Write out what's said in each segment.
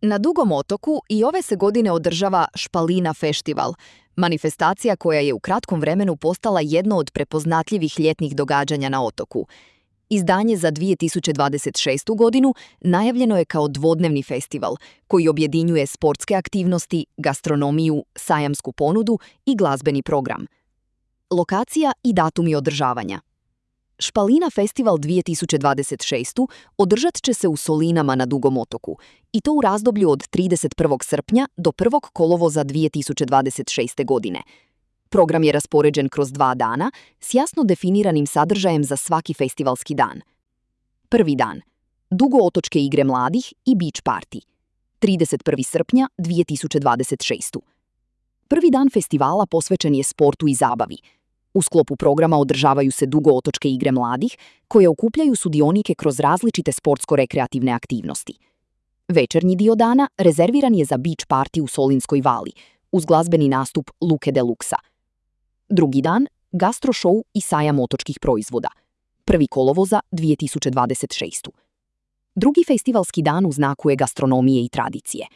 Na Dugom otoku i ove se godine održava Špalina festival, manifestacija koja je u kratkom vremenu postala jedno od prepoznatljivih ljetnih događanja na otoku. Izdanje za 2026. godinu najavljeno je kao dvodnevni festival koji objedinjuje sportske aktivnosti, gastronomiju, sajamsku ponudu i glazbeni program. Lokacija i datumi održavanja. Špalina festival 2026. održat će se u Solinama na Dugom otoku i to u razdoblju od 31. srpnja do 1. kolovoza 2026. godine. Program je raspoređen kroz 2 dana s jasno definiranim sadržajem za svaki festivalski dan. Prvi dan. Dugootočke igre mladih i beach party. 31. srpnja 2026. Prvi dan festivala posvećen je sportu i zabavi. U sklopu programa održavaju se dugootočke igre mladih, koje okupljaju sudionike kroz različite sportsko-rekreativne aktivnosti. Večernji dio dana rezerviran je za beach party u Solinskoj vali, uz glazbeni nastup Luke Deluxa. Drugi dan, gastro show i sajam otočkih proizvoda. 1. kolovoza 2026. Drugi festivalski dan u znaku je gastronomije i tradicije.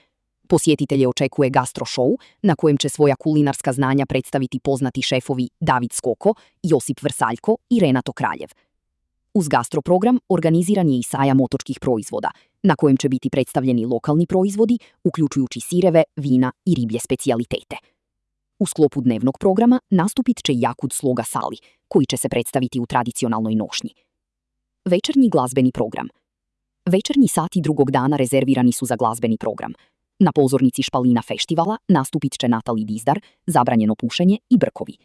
Posjetitelje očekuje gastro show, na kojem će svoja kulinarska znanja predstaviti poznati šefovi David Skoko, Josip Vrsaljko i Renato Kraljev. Uz gastroprogram organiziran je i sajam otočkih proizvoda, na kojem će biti predstavljeni lokalni proizvodi, uključujući sireve, vina i riblje specijalitete. U sklopu dnevnog programa nastupit će Jakud Sloga Sali, koji će se predstaviti u tradicionalnoj nošnji. Večernji glazbeni program. Večernji sati drugog dana rezervirani su za glazbeni program. Na pozornici Špalina festivala nastupit će Natali Dizdar, Zabranjeno pušenje i Brkovi.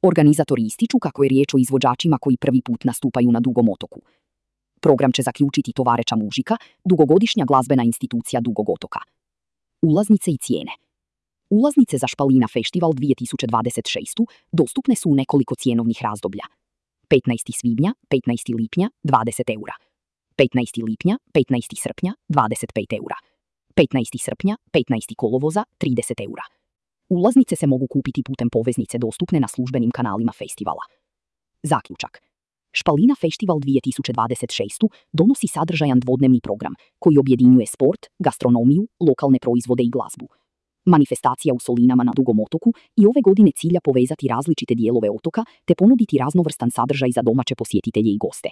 Organizatori ističu kako je riječ o izvođačima koji prvi put nastupaju na Dugom otoku. Program će zaključiti Tovareča Mužika, dugogodišnja glazbena institucija Dugog otoka. Ulaznice i cijene. Ulaznice za Špalina festival 2026. dostupne su u nekoliko cijenovnih razdoblja. 15. svibnja, 15. lipnja, 20 eura. 15. lipnja, 15. srpnja, 25 eura. 15. srpnja, 15. kolovoza, 30 eura. Ulaznice se mogu kupiti putem poveznice dostupne na službenim kanalima festivala. Zaključak. Špalina festival 2026. donosi sadržajan dvodnevni program koji objedinjuje sport, gastronomiju, lokalne proizvode i glazbu. Manifestacija u Solinama na Dugom otoku i ove godine cilja povezati različite dijelove otoka te ponuditi raznovrstan sadržaj za domaće posjetitelje i goste.